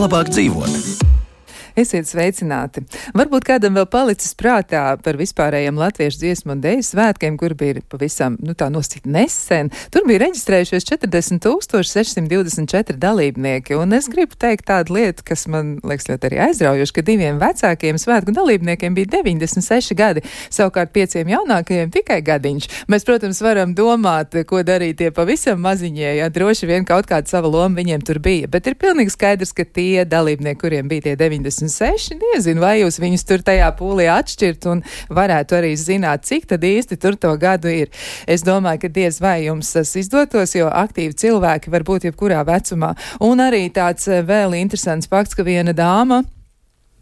labāk dzīvot. Esiet sveicināti. Varbūt kādam vēl palicis prātā par vispārējiem latviešu dziesmu un deju svētkiem, kur bija pavisam, tā nosacīt nesen. Tur bija reģistrējušies 40,624 dalībnieki, un es gribu teikt tādu lietu, kas man liekas ļoti arī aizraujoši, ka diviem vecākiem svētku dalībniekiem bija 96 gadi, savukārt 5 jaunākajiem tikai gadiņš. Mēs, protams, varam domāt, ko darīt tie pavisam maziņie, ja droši vien kaut kāda sava loma viņiem tur bija, bet ir pilnīgi skaidrs, ka tie dalībnieki, kuriem bija tie 96, nezinu, vai jūs viņus tur tajā pūlī atšķirt un varētu arī zināt, cik tad īsti tur to gadu ir. Es domāju, ka diez vai jums tas izdotos, jo aktīvi cilvēki var būt jebkurā vecumā. Un arī tāds vēl interesants fakts, ka viena dāma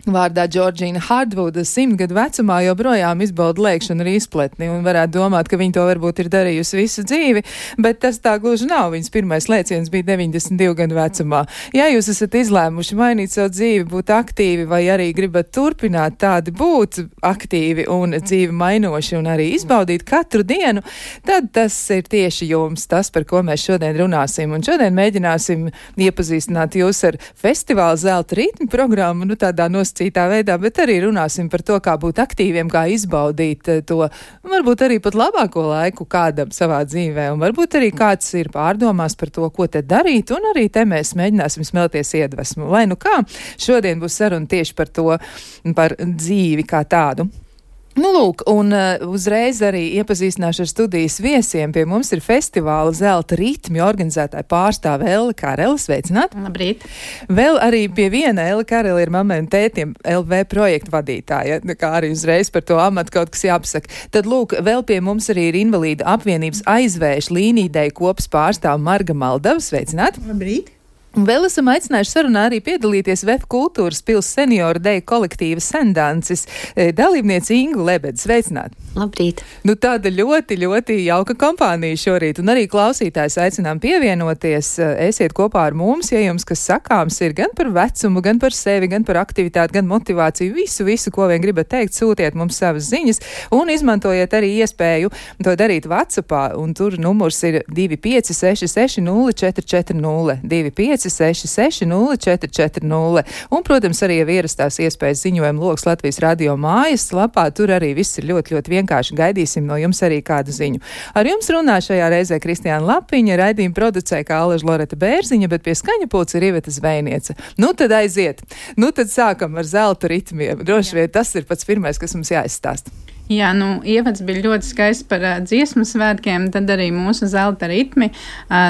vārdā Džordžīna Hardvuda 100 gadu vecumā joprojām izbauda lēkšanu ar izpletni un varētu domāt, ka viņa to varbūt ir darījusi visu dzīvi, bet tas tā gluži nav. Viņas pirmais lēciens bija 92 gadu vecumā. Ja jūs esat izlēmuši mainīt savu dzīvi, būt aktīvi vai arī gribat turpināt tādi būt aktīvi un dzīvi mainoši un arī izbaudīt katru dienu, tad tas ir tieši jums, tas, par ko mēs šodien runāsim. Un šodien mēģināsim iepazīstināt jūs ar festivālu Zelta ritmu programmu, tādā citā veidā, bet arī runāsim par to, kā būt aktīviem, kā izbaudīt to, varbūt arī pat labāko laiku kādam savā dzīvē, un varbūt arī kāds ir pārdomās par to, ko te darīt, un arī te mēs mēģināsim smelties iedvesmu. Lai nu kā, šodien būs saruna tieši par to, par dzīvi kā tādu. Lūk, un uzreiz arī iepazīstināšu ar studijas viesiem. Pie mums ir festivāla Zelta ritmi organizētāja pārstāve Elle Karele. Sveicināti! Labrīt! Vēl arī pie viena Elle Karele ir mammai un tētiem LV projektu vadītāja, kā arī uzreiz par to amatu kaut kas jāpasaka. Tad lūk, vēl pie mums arī ir Invalīdu apvienības aizvēšu līnīdeju kopas pārstāve Marga Maldava. Sveicināti! Labrīt! Un vēl esam aicinājuši sarunā arī piedalīties VF Kultūras pils senioru deju kolektīva Sendancis dalībniece Ingu Lebedi. Sveicināti! Labrīt! Tāda ļoti, ļoti jauka kompānija šorīt, un arī klausītājs aicinām pievienoties. Esiet kopā ar mums, ja jums kas sakāms ir gan par vecumu, gan par sevi, gan par aktivitāti, gan motivāciju, visu, ko vien gribat teikt, sūtiet mums savas ziņas un izmantojiet arī iespēju to darīt WhatsAppā, un tur numurs ir 25660440, 25660440, un, protams, arī jau ierastās iespējas ziņojuma loks Latvijas radio mājas lapā, tur arī viss ir ļoti, ļoti vienkārši. Gaidīsim no jums arī kādu ziņu. Ar jums runā šajā reizē Kristiāna Lapiņa, raidījuma producē kā Aleža Loreta Bērziņa, bet pie skaņa pulca ir Iveta Zvejniece. Tad aiziet. Tad sākam ar zelta ritmiem. Droši vien tas ir pats pirmais, kas mums jāizstāsta. Jā, ievads bija ļoti skaists par dziesmu svētkiem, tad arī mūsu zelta ritmi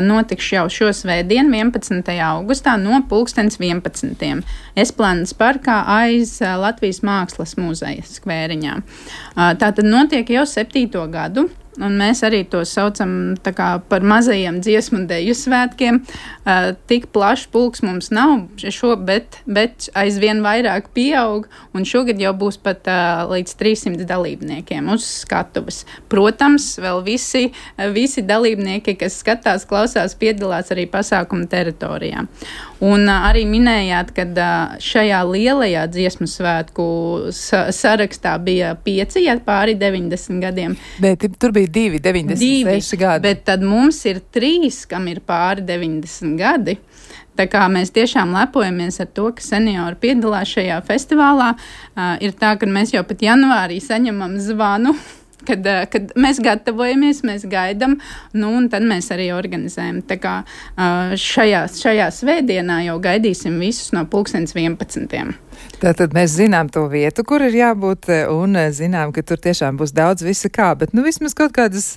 notiks jau šo svētdienu, 11. augustā no 11:00 Esplandes parkā aiz Latvijas Mākslas muzeja skvēriņā. Tātad notiek jau 7. gadu. Un mēs arī to saucam par mazajiem dziesmu un deju svētkiem. Tik plašs pulks mums nav, bet aizvien vairāk pieaug, un šogad jau būs pat līdz 300 dalībniekiem uz skatuves. Protams, vēl visi dalībnieki, kas skatās, klausās, piedalās arī pasākuma teritorijā. Un arī minējāt, ka šajā lielajā dziesmu svētku sarakstā bija 5, pāri 90 gadiem. Bet tur bija 96 gadi. Bet tad mums ir 3, kam ir pāri 90 gadi. Tā kā mēs tiešām lepojamies ar to, ka seniori piedalās šajā festivālā. Ir tā, ka mēs jau pat janvārī saņemam zvanu, kad mēs gatavojamies, mēs gaidām, un tad mēs arī organizējam. Tā kā šajā svētdienā jau gaidīsim visus no 11:00. Tātad mēs zinām to vietu, kur ir jābūt, un zinām, ka tur tiešām būs daudz visa kā, bet vismaz kaut kādas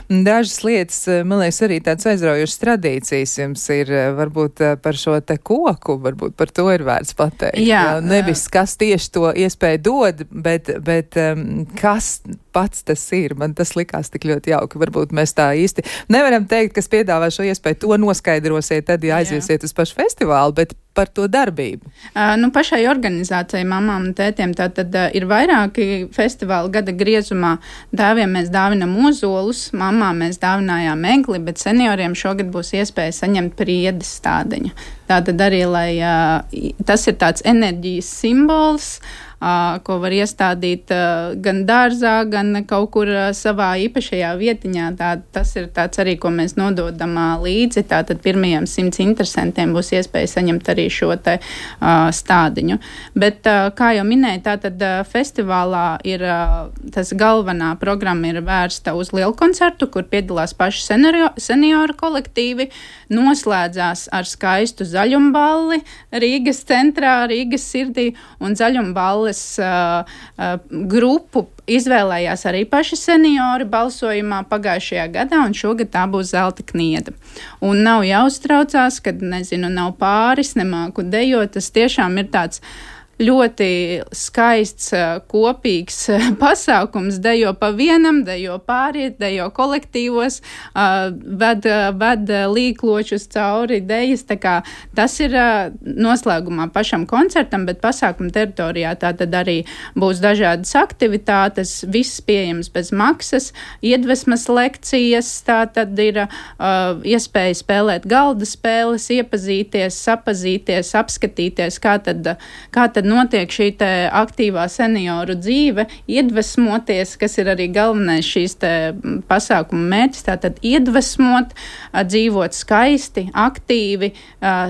dažas lietas, man liekas, arī tādas aizraujošas tradīcijas jums ir, varbūt par šo te koku, varbūt par to ir vērts pateikt. Jā. Nevis, kas tieši to iespēju dod, bet kas pats tas ir. Man tas likās tik ļoti jauki. Varbūt mēs tā īsti nevaram teikt, kas piedāvā šo iespēju, to noskaidrosiet, tad aiziesiet uz pašu festivālu, bet par to darbību. Pašai organizācijai, mamām un tētiem, tātad ir vairāki festivāli gada griezumā. Tēviem mēs dāvinam ozolus, mamām mēs dāvinājām egli, bet senioriem šogad būs iespēja saņemt priedes stādeņu. Tātad arī, lai tas ir tāds enerģijas simbols, ko var iestādīt gan dārzā, gan kaut kur savā īpašajā vietiņā. Tas ir tāds arī, ko mēs nododam līdzi. Tātad pirmajiem 100 interesantiem būs iespēja saņemt arī šo te stādiņu. Bet, kā jau minēju, tātad festivālā ir tas galvenā programma ir vērsta uz lielu koncertu, kur piedalās paši senioru kolektīvi, noslēdzās ar skaistu zaļumballi Rīgas centrā, Rīgas sirdī, un zaļumballes grupu izvēlējās arī paši seniori balsojumā pagājušajā gadā, un šogad tā būs Zelta knieda. Un nav jāuztraucās, kad, nav pāris, nemāku dejot, tas tiešām ir tāds ļoti skaists, kopīgs pasākums. Dejo pa vienam, dejo pāriet, dejo kolektīvos, ved līkločus cauri dejas. Tā kā tas ir noslēgumā pašam koncertam, bet pasākuma teritorijā tā tad arī būs dažādas aktivitātes, viss pieejams bez maksas, iedvesmas lekcijas, tā tad ir iespēja spēlēt galda spēles, iepazīties, sapazīties, apskatīties, kā tad notiek šī te aktīvā senioru dzīve, iedvesmoties, kas ir arī galvenais šīs te pasākuma mērķis, tātad iedvesmot, dzīvot skaisti, aktīvi,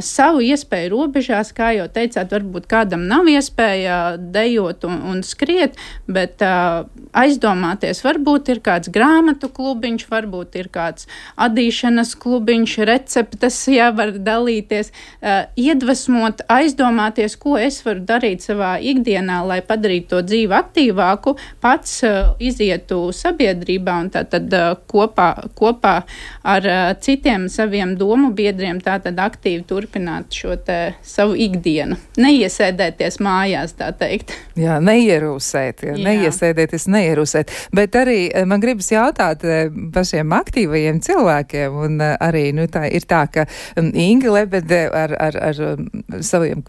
savu iespēju robežās, kā jau teicāt, varbūt kādam nav iespēja dejot un skriet, bet aizdomāties, varbūt ir kāds grāmatu klubiņš, varbūt ir kāds adīšanas klubiņš, receptes, var dalīties, iedvesmot, aizdomāties, ko es varu darīt savā ikdienā, lai padarītu to dzīvi aktīvāku, pats izietu sabiedrībā un tātad kopā ar citiem saviem domu biedriem tātad aktīvi turpināt šo te savu ikdienu. Neiesēdēties mājās, tā teikt. Jā, neierūsēt, neiesēdēties, neierūsēt. Bet arī man gribas jautāt pašiem aktīvajiem cilvēkiem, un arī, tā ir tā, ka Inga Lebede ar saviem,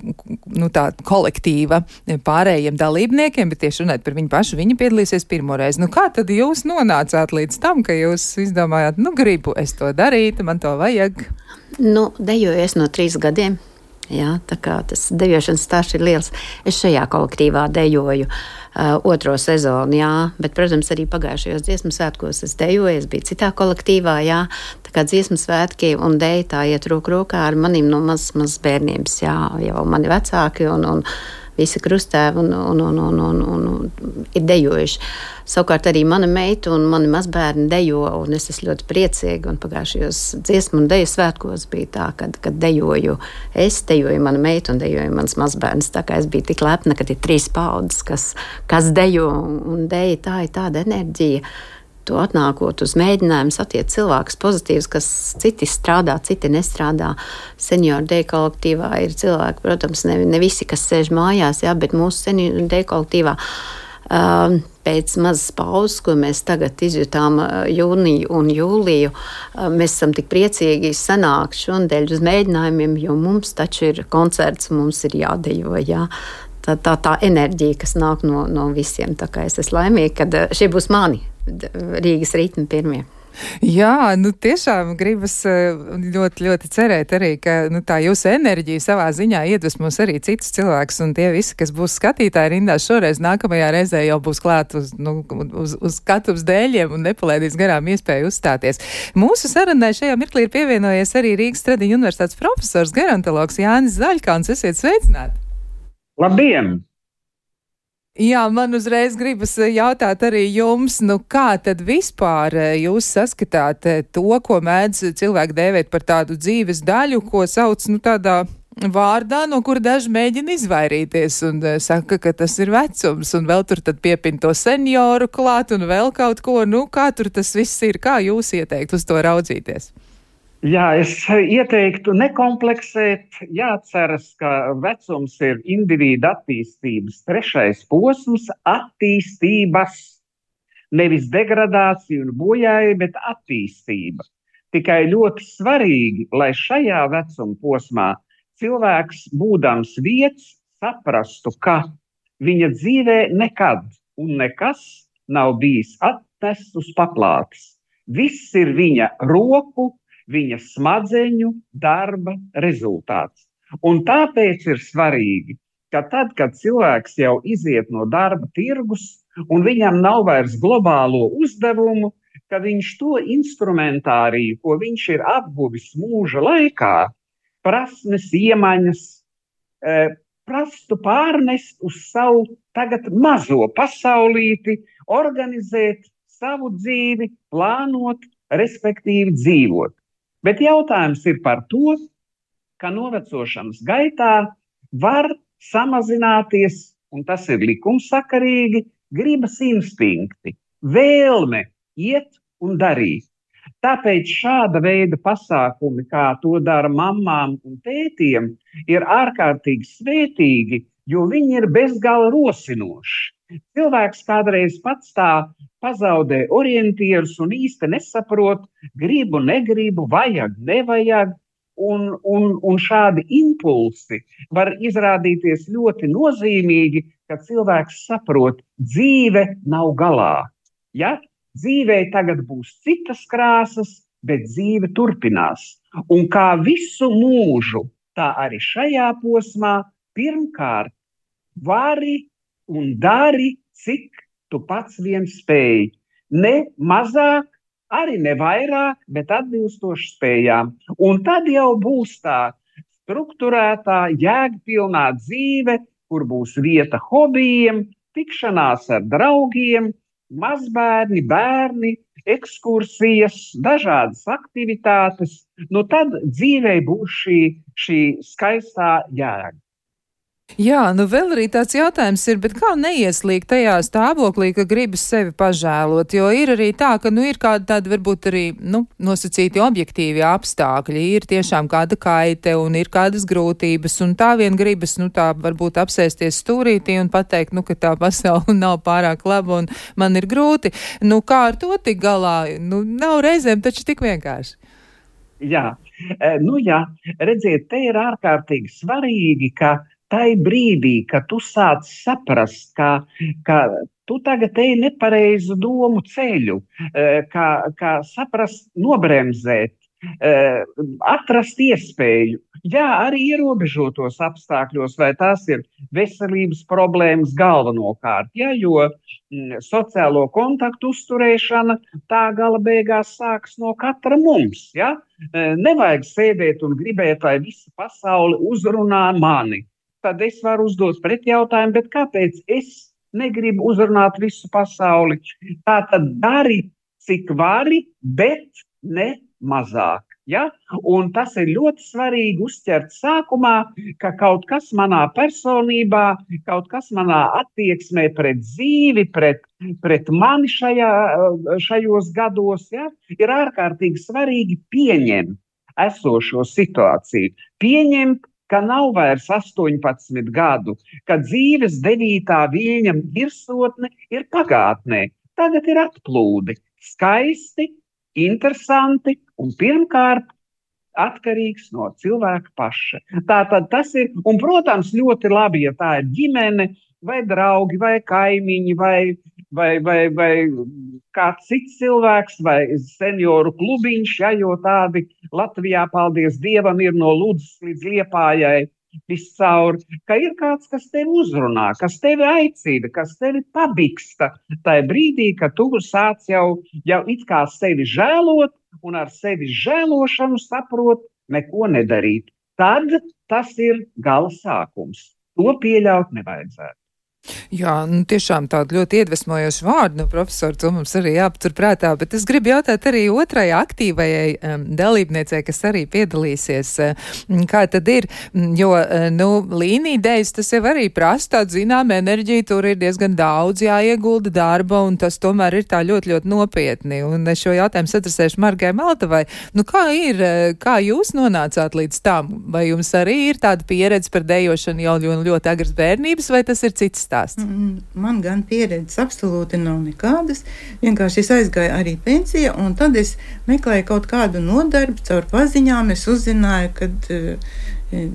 tā kolektīva pārējiem dalībniekiem, bet tieši runāt par viņu pašu, viņa piedalīsies pirmoreiz. Kā tad jūs nonācāt līdz tam, ka jūs izdomājāt, gribu es to darīt, man to vajag? Dejoju es no 3 gadiem. Jā, tā kā tas dejošanas stāsts ir liels. Es šajā kolektīvā dejoju 2. sezonu, jā, bet, protams, arī pagājušajos dziesmu svētkos es dejoju, es biju citā kolektīvā, jā, tā kā dziesmu svētki un deja tā iet roku rokā ar manim no mazas bērnības, jā, jau mani vecāki un visi krustēvi un ir dejojuši. Savukārt arī mana meita un mani mazbērni dejo, un es esmu ļoti priecīga, un pagājušajos dziesmu un deju svētkos bija tā, kad dejoju mana meita un dejoju mans mazbērns, tā kā es biju tik lepna, kad ir 3 paudzes, kas dejo un deja, tā ir tāda enerģija. To atnākot uz mēģinājumu satiet cilvēkus pozitīvus, kas citi strādā, citi nestrādā. Senioru deju kolektīvā ir cilvēki, protams, ne visi, kas sēž mājās, jā, bet mūsu senioru deju kolektīvā pēc mazas pauzes, ko mēs tagad izjutām jūniju un jūliju, mēs esam tik priecīgi sanākt šonadēļ uz mēģinājumiem, jo mums taču ir koncerts, mums ir jādejo, jā. Tā enerģija, kas nāk no visiem. Tā kā es esmu laimīga, kad šie būs mani Rīgas ritmi pirmie. Jā, tiešām gribas ļoti, ļoti cerēt arī, ka tā jūsu enerģija savā ziņā iedvesmos arī citus cilvēkus, un tie visi, kas būs skatītāji rindās šoreiz, nākamajā reizē jau būs klāt uz skatuves dēļiem un nepalaidīs garām iespēju uzstāties. Mūsu sarunai šajā mirklī ir pievienojies arī Rīgas Stradiņu universitātes profesors, gerontologs Jānis Zaļkauns. Esiet sveicināti! Labdien! Jā, man uzreiz gribas jautāt arī jums, kā tad vispār jūs saskatāt to, ko mēdz cilvēki dēvēt par tādu dzīves daļu, ko sauc tādā vārdā, no kura daži mēģina izvairīties un saka, ka tas ir vecums, un vēl tur tad piepin to senioru klāt un vēl kaut ko. Kā tur tas viss ir? Kā jūs ieteikt uz to raudzīties? Jā, es ieteiktu nekompleksēt, jāatceras, ka vecums ir indivīda attīstības 3. posms, attīstības, nevis degradācija un bojāja, bet attīstība. Tikai ļoti svarīgi, lai šajā vecuma posmā cilvēks, būdams vietas, saprastu, ka viņa dzīvē nekad un nekas nav bijis atnests uz paplātes. Viss ir viņa roku, viņa smadzeņu darba rezultāts. Un tāpēc ir svarīgi ka tad, kad cilvēks jau iziet no darba tirgus un viņam nav vairs globālo uzdevumu, ka viņš to instrumentāriju, ko viņš ir apguvis mūža laikā, prasmes, iemaņas, prastu pārnest uz savu tagad mazo pasaulīti, organizēt savu dzīvi, plānot, respektīvi dzīvot. Bet jautājums ir par to, ka novecošanas gaitā var samazināties, un tas ir likumsakarīgi, gribas instinkti, vēlme iet un darīt. Tāpēc šāda veida pasākumi, kā to dara mammām un tētiem, ir ārkārtīgi svētīgi, jo viņi ir bezgala rosinoši. Cilvēks kādreiz pats tā pazaudē orientierus un īsti nesaprot, gribu, negribu, vajag, nevajag, un šādi impulsi var izrādīties ļoti nozīmīgi, ka cilvēks saprot, dzīve nav galā. Ja? Dzīvei tagad būs citas krāsas, bet dzīve turpinās. Un kā visu mūžu, tā arī šajā posmā pirmkārt vari un dari, cik tu pats vien spēj. Ne mazāk, arī ne vairāk, bet atbilstoši spējām. Un tad jau būs tā strukturētā, jēgpilnā dzīve, kur būs vieta hobijiem, tikšanās ar draugiem, mazbērni, bērni, ekskursijas, dažādas aktivitātes. Nu tad dzīvei būs šī skaistā jēga. Jā, nu vēl arī tāds jautājums ir, bet kā neieslīgt tajā stāvoklī, ka gribas sevi pažēlot, jo ir arī tā, ka ir kādi tādi varbūt arī, nosacīti objektīvi apstākļi, ir tiešām kāda kaite un ir kādas grūtības, un tā vien gribas, tā varbūt apsēsties stūrītī un pateikt, ka tā pasaule nav pārāk laba un man ir grūti. Kā ar to tik galā? Nav reizēm taču tik vienkārši. Jā, redziet, te ir ārkārtīgi svarīgi, ka tai brīdī, kad tu sāc saprast, ka tu tagad ej nepareizu domu ceļu, kā saprast, nobremzēt, atrast iespēju. Jā, arī ierobežotos apstākļos, vai tās ir veselības problēmas galvenokārt, jo sociālo kontaktu uzturēšana tā gala beigās sāks no katra mums. Ja? Nevajag sēdēt un gribēt, lai visa pasaule uzrunā mani. Tad es varu uzdot pretjautājumu, bet kāpēc es negribu uzrunāt visu pasauli? Tā tad dari, cik vari, bet ne mazāk. Ja? Un tas ir ļoti svarīgi uzķert sākumā, ka kaut kas manā personībā, kaut kas manā attieksmē pret dzīvi, pret mani šajos gados, ir ārkārtīgi svarīgi pieņemt esošo situāciju. Pieņemt, ka nav vairs 18 gadu, ka dzīves 9. viļņa virsotne ir pagātnē. Tagad ir atplūdi. Skaisti, interesanti un pirmkārt atkarīgs no cilvēka paša. Tātad tas ir, un protams, ļoti labi, ja tā ir ģimene, vai draugi, vai kaimiņi, vai kāds cits cilvēks, vai senioru klubiņš, jo tādi Latvijā, paldies Dievam, ir no Ludzas līdz Liepājai viscaur, ka ir kāds, kas tevi uzrunā, kas tevi aicina, kas tevi pabiksta tajā brīdī, kad tu sāc jau it kā sevi žēlot un ar sevi žēlošanu saprot neko nedarīt. Tad tas ir gala sākums. To pieļaut nevajadzētu. Jā, tiešām tādu ļoti iedvesmojošu vārdu, profesor, to mums arī jāpatur prātā, bet es gribu jautāt arī otrajai aktīvajai dalībniecei, kas arī piedalīsies, kā tad ir, jo, līnīdējas tas jau arī prasa tādu zinām enerģiju, tur ir diezgan daudz jāiegulda darba, un tas tomēr ir tā ļoti, ļoti nopietni, un es šo jautājumu satrasēšu Margai Maltavai. Kā ir, kā jūs nonācāt līdz tam? Vai jums arī ir tāda pieredze par dejošanu jau ļoti agras bērnības, vai tas ir cits stāsts? Man gan pieredzes absolūti nav nekādas. Vienkārši es aizgāju arī pensijā, un tad es meklēju kaut kādu nodarbi, caur paziņām es uzzināju, kad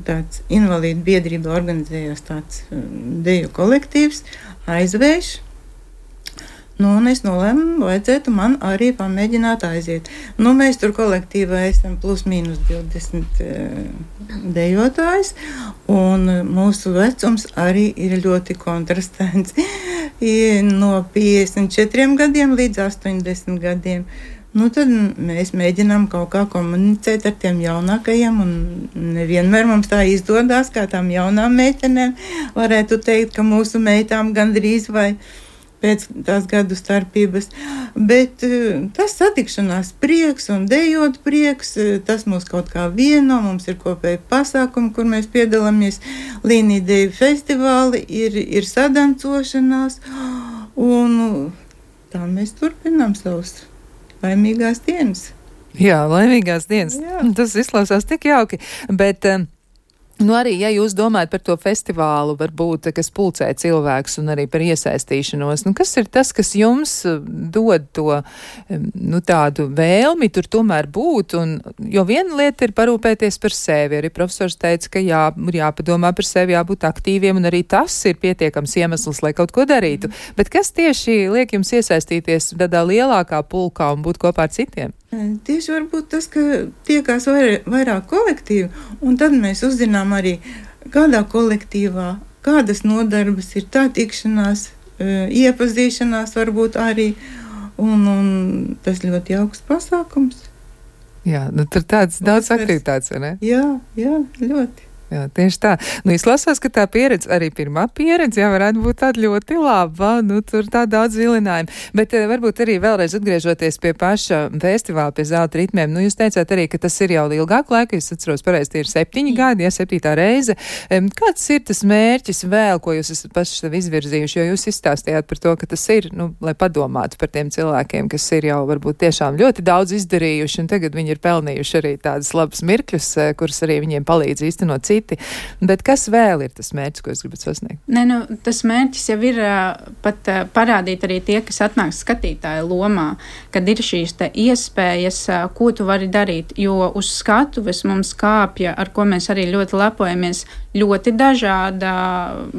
tāds invalīdu biedrība organizējās tāds deju kolektīvs, Aizvējš. Nu, un es nolēmu, vajadzētu man arī pamēģināt aiziet. Nu, mēs tur kolektīvā esam plus mīnus 20 dejotājs, un mūsu vecums arī ir ļoti kontrastants. No 54 gadiem līdz 80 gadiem. Nu, tad mēs mēģinām kaut kā komunicēt ar tiem jaunākajiem, un nevienmēr mums tā izdodas, kā tām jaunām meitenēm. Varētu teikt, ka mūsu meitām gandrīz vai pēc tās gadu starpības, bet tas satikšanās prieks un dejot prieks, tas mūs kaut kā vieno, mums ir kopēji pasākumi, kur mēs piedalāmies, līnija deju festivāli, ir sadancošanās, un tā mēs turpinām savus laimīgās dienas. Jā, laimīgās dienas. Jā. Tas izklausās tik jauki, bet nu arī, ja jūs domājat par to festivālu, varbūt, kas pulcē cilvēkus un arī par iesaistīšanos, nu kas ir tas, kas jums dod to, nu tādu vēlmi tur tomēr būt, un, jo viena lieta ir parūpēties par sevi, arī profesors teica, ka jāpadomā par sevi, jābūt aktīviem, un arī tas ir pietiekams iemesls, lai kaut ko darītu. Bet kas tieši liek jums iesaistīties tādā lielākā pulkā un būt kopā ar citiem? Tieši varbūt tas, ka tiekās vairāk kolektīvu, un tad mēs uzzinām arī, kādā kolektīvā, kādas nodarbas ir tā tikšanās, iepazīšanās varbūt arī, un tas ļoti jauks pasākums. Jā, nu tur tāds daudz aktivitātes, vai ne? Jā, ļoti. Jā, tieši tā. Nu, izlasās, ka tā pieredze, arī pirmā pieredze, jā, varētu būt tāda ļoti laba, nu, tur tā daudz vilinājumu. Bet varbūt arī vēlreiz atgriežoties pie paša festivāla, pie zelta ritmiem, nu, jūs teicāt arī, ka tas ir jau ilgāk laika, es atceros pareizi, tie ir 7 gadi, ja 7. reize. Kāds ir tas mērķis vēl, ko jūs esat paši sev izvirzījuši, jo jūs izstāstījāt par to, ka tas ir, nu, lai padomātu par tiem cilvēkiem, kas ir jau varbūt tiešām ļoti daudz izdarījuši, un tagad viņi ir pelnījuši arī tādas labas mirkļus, kuras arī viņiem palīdz īstenot citi. Bet kas vēl ir tas mērķis, ko jūs gribat sasniegt? Ne, nu, tas mērķis jau ir pat parādīt arī tie, kas atnāk skatītāja lomā, kad ir šīs te iespējas, ko tu vari darīt, jo uz skatuves mums kāpja, ar ko mēs arī ļoti lepojamies, ļoti dažādā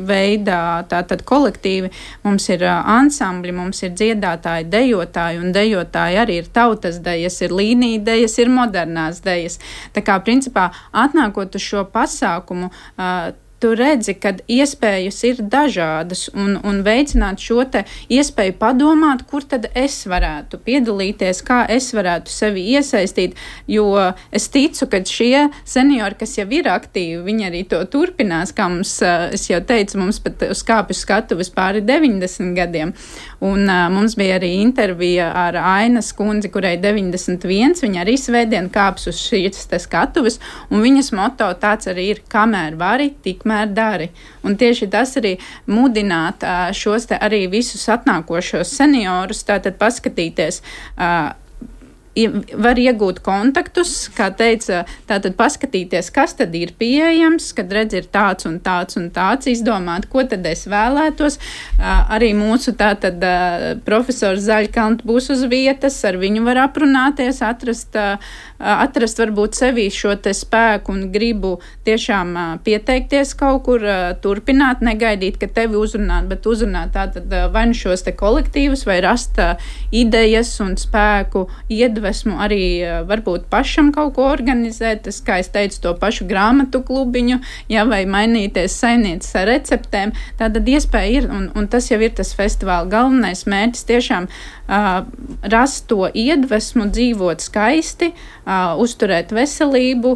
veidā, tātad kolektīvi. Mums ir ansambļi, mums ir dziedātāji, dejotāji, un dejotāji arī ir tautas dejas, ir līnija dejas, ir modernās dejas. Tā kā, principā, atnākot uz šo pasākumu, tu redzi, ka iespējas ir dažādas un veicināt šo te iespēju padomāt, kur tad es varētu piedalīties, kā es varētu sevi iesaistīt, jo es ticu, ka šie seniori, kas jau ir aktīvi, viņi arī to turpinās, kā mums, es jau teicu, mums pat uz kāpju skatuves pāri 90 gadiem, un mums bija arī intervija ar Ainas kundzi, kurai 91, viņa arī svētdien kāps uz šīs te skatuves, un viņas moto tāds arī ir, kamēr vari, tikmēr dari. Un tieši tas arī mudināt šos te arī visus atnākošos seniorus, tātad paskatīties, var iegūt kontaktus, kā teica, tātad paskatīties, kas tad ir pieejams, kad redz ir tāds un tāds un tāds, izdomāt, ko tad es vēlētos. Arī mūsu tātad profesors Zaļkalns būs uz vietas, ar viņu var aprunāties, atrast varbūt sevī šo te spēku un gribu tiešām pieteikties kaut kur, turpināt, negaidīt, ka tevi uzrunāt, bet uzrunāt tātad vai nu šos te kolektīvus, vai rast idejas un spēku iedvesmu arī varbūt pašam kaut ko organizēt, kā es teicu, to pašu grāmatu klubiņu, ja, vai mainīties saimnieces ar receptēm. Tātad iespēja ir, un tas jau ir tas festivāla galvenais mērķis, tiešām rast to iedvesmu, dzīvot skaisti, uzturēt veselību,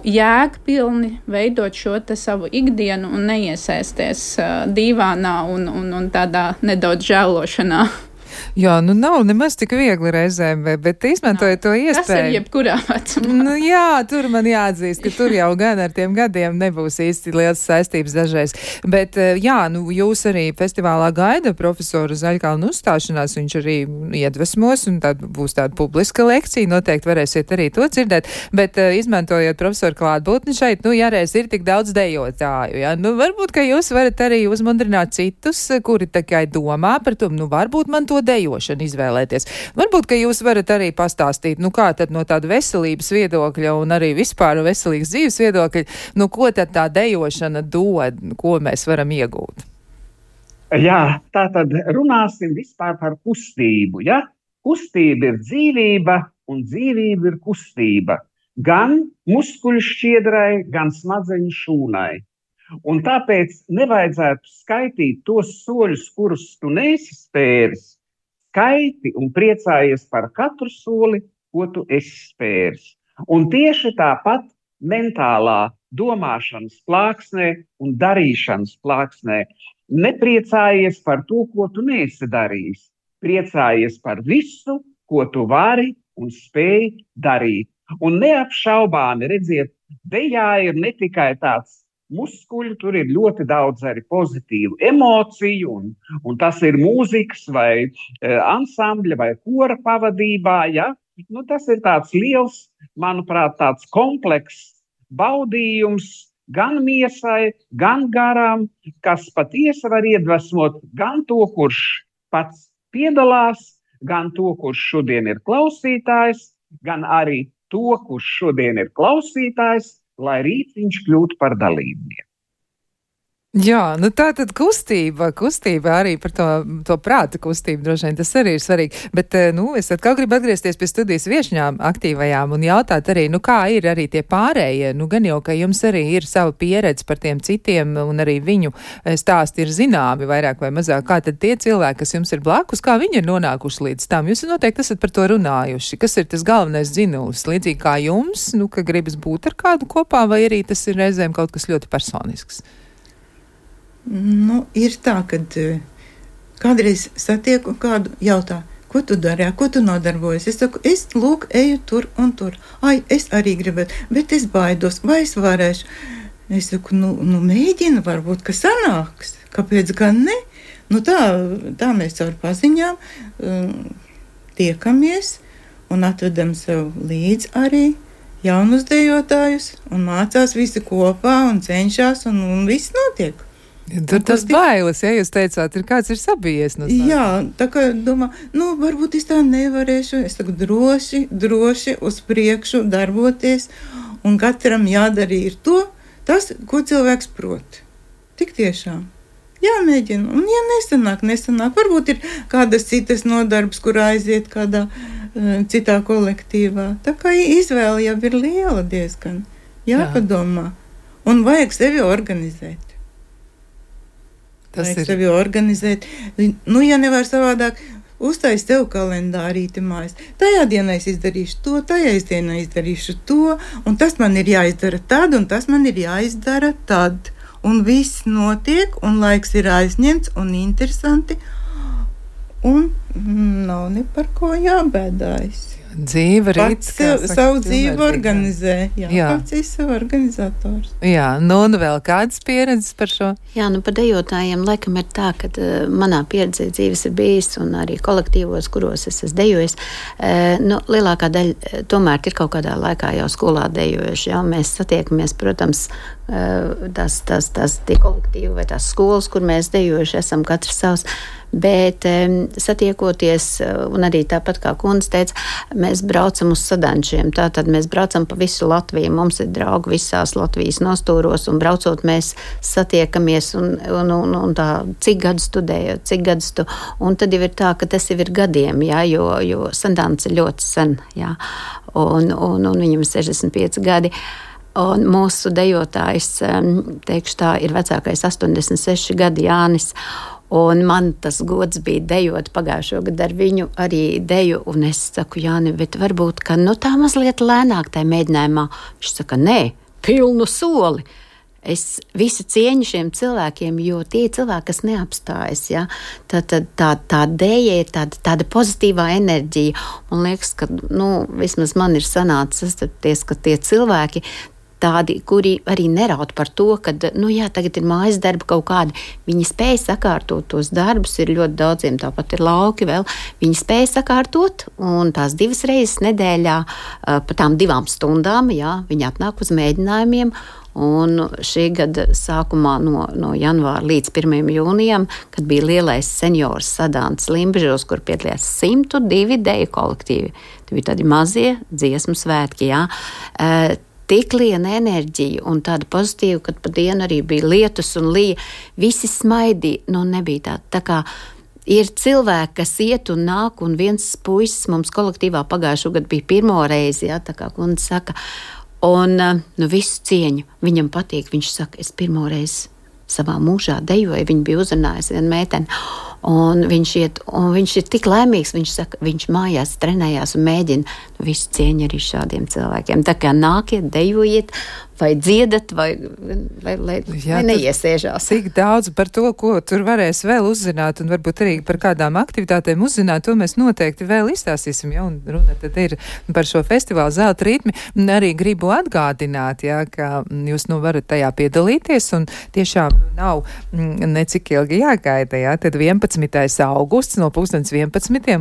jēgpilni, veidot šo te savu ikdienu un neiesaisties dīvānā un tādā nedaudz žēlošanā. Jā, nu nav nemaz tik viegli reizēm, bet izmantojot to iespēju. Tas ir jebkurā vecumā. Nu jā, tur man jāatzīst, ka tur jau gan ar tiem gadiem nebūs īsti liels saistības dažreiz. Bet jā, nu jūs arī festivālā gaida profesoru Zaļkalna uzstāšanās, viņš arī iedvesmos, un tad būs tāda publiska lekcija, noteikti varēsiet arī to dzirdēt, bet izmantojot profesoru klātbūtni šeit, nu jāreiz ir tik daudz dejotāju, jā, nu varbūt, ka jūs varat arī uzmundrināt citus, kuri tikai domā par to, nu varbūt man to dejošanu izvēlēties. Varbūt, ka jūs varat arī pastāstīt, nu kā tad no tāda veselības viedokļa un arī vispār veselīgas dzīves viedokļa, nu ko tad tā dejošana dod, ko mēs varam iegūt? Jā, tā tad runāsim vispār par kustību. Ja? Kustība ir dzīvība, un dzīvība ir kustība. Gan muskuļu šķiedrai, gan smadzeņu šūnai. Un tāpēc nevajadzētu skaitīt tos soļus, kurus tu neesi spēris. Skaiti un priecājies par katru soli, ko tu esi spēris. Un tieši tāpat mentālā domāšanas plāksnē un darīšanas plāksnē. Nepriecājies par to, ko tu neesi darījis. Priecājies par visu, ko tu vari un spēj darīt. Un neapšaubāmi, redziet, dejā ir ne tikai tāds muskuļu, tur ir ļoti daudz arī pozitīvu emociju, un tas ir mūzikas vai ansambļa vai kora pavadībā. Ja? Nu, tas ir tāds liels, manuprāt, tāds komplekss baudījums gan miesai, gan garām, kas patiesi var iedvesmot gan to, kurš pats piedalās, gan to, kurš šodien ir klausītājs, gan arī to, kurš šodien ir klausītājs, lai rīt viņš kļūtu par dalībnieku. Jā, nu tā tad kustība arī par to prāta kustību droši vien tas arī ir svarīgi, bet, es atkal gribu atgriezties pie studijas viešņām aktīvajām un jautāt arī, kā ir arī tie pārējie, gan jau, ka jums arī ir sava pieredze par tiem citiem un arī viņu stāsti ir zināmi vairāk vai mazāk, kā tad tie cilvēki, kas jums ir blakus, kā viņi ir nonākuši līdz tam, jūs noteikti esat par to runājuši, kas ir tas galvenais dzinulis, līdzīgi kā jums, ka gribas būt ar kādu kopā, vai arī tas ir reizēm kaut kas ļoti personisks? Ir tā, ka kādreiz satieku kādu jautā, ko tu dari, ko tu nodarbojies. Es saku, es eju tur un tur. Ai, es arī gribētu, bet es baidos, vai es varēšu. Es saku, mēģinu, varbūt, ka sanāks. Kāpēc gan ne? Tā mēs caur paziņām tiekamies un atvedam sev līdz arī jaunus dejotājus un mācās visi kopā un cenšas un viss notiek. Tur tas bailes, ja jūs teicāt, kāds ir sabijies no sākuma. Jā, tā kā domā, varbūt es tā nevarēšu, es saku droši uz priekšu darboties, un katram jādara ir tas, ko cilvēks prot. Tik tiešām. Jāmēģina, un ja nesanāk, varbūt ir kādas citas nodarbs, kur aiziet kādā citā kolektīvā. Tā kā izvēle jau ir liela diezgan, jāpadomā, un vajag sevi organizēt. Sevi organizēt. Ja nevar savādāk, uztais tev kalendārīti mājas. Tajā dienā es izdarīšu to, tajā dienā izdarīšu to, un tas man ir jāizdara tad, un tas man ir jāizdara tad. Un viss notiek, un laiks ir aizņemts un interesanti, un nav ne par ko jābēdājas. Dzīve pats savu dzīvi organizē. Pats ir savu organizators. Jā, un vēl kādas pieredzes par šo? Jā, par dejotājiem laikam ir tā, ka manā pieredzē dzīves ir bijis un arī kolektīvos, kuros es esmu dejojis. Lielākā daļa tomēr ir kaut kādā laikā jau skolā dejojuši. Jā, mēs satiekamies, protams, tās tie kolektīvi vai tās skolas, kur mēs dejojuši esam katrs savs. Bet satiekoties, un arī tāpat kā kundze teica, mēs braucam uz sadančiem. Tātad mēs braucam pa visu Latviju. Mums ir draugi visās Latvijas nostūros, un braucot mēs satiekamies un tā, cik gadus studējot, cik gadus tu. Un tad jau ir tā, ka tas jau ir gadiem, jā, jo sadants ir ļoti sen, jā. Un viņam ir 65 gadi. Un mūsu dejotājs, teikšu tā, ir vecākais 86 gadi Jānis. Un man tas gods bija dejot pagājušo gadu ar viņu arī deju, un es saku, Jāni, bet varbūt, ka tā mazliet lēnāk tajā mēģinājumā. Viņš saka, nē, pilnu soli. Es visu cieņu šiem cilvēkiem, jo tie cilvēki, kas neapstājas, ja, tā deja ir tāda pozitīvā enerģija. Man liekas, ka, vismaz man ir sanācis sastapties, ka tie cilvēki, tādi, kuri arī neraud par to, ka, tagad ir mājas darba kaut kādi, viņi spēja sakārtot tos darbus, ir ļoti daudziem, tāpat ir lauki vēl, viņi spēja sakārtot, un tās 2 reizes nedēļā, pa tām 2 stundām, jā, viņi atnāk uz mēģinājumiem, un šī gada sākumā no janvāra līdz 1. jūnijam, kad bija lielais seniors sadants Limbažos, kur piedalījās 102 deju kolektīvi. Tie bija tādi mazie dziesmu svētki, jā. tik liela enerģija un tāda pozitīva, kad pa dienu arī bija lietus un lija, visi smaidīja, nebija tā kā ir cilvēki, kas iet un nāk, un viens puisis mums kolektīvā pagājušo gadu bija pirmo reizi, tā kā kundze saka, un visu cieņu, viņam patīk, viņš saka, es pirmo reizi savā mūžā dejoju, viņa bija uzrunājusi vienu meiteni, un viņš ir tik laimīgs, viņš saka, viņš mājās trenējās un mēģina, visu cieņu arī šādiem cilvēkiem. Tā kā nākiet, dejojiet, vai dziedat, vai neiesēžās. Tik daudz par to, ko tur varēs vēl uzzināt, un varbūt arī par kādām aktivitātēm uzzināt, to mēs noteikti vēl izstāstīsim, un runa tad ir par šo festivālu Zelta ritmi. Arī gribu atgādināt, ka jūs varat tajā piedalīties, un tiešām nav necik ilgi jāgaida, tad 11. augusts no 11.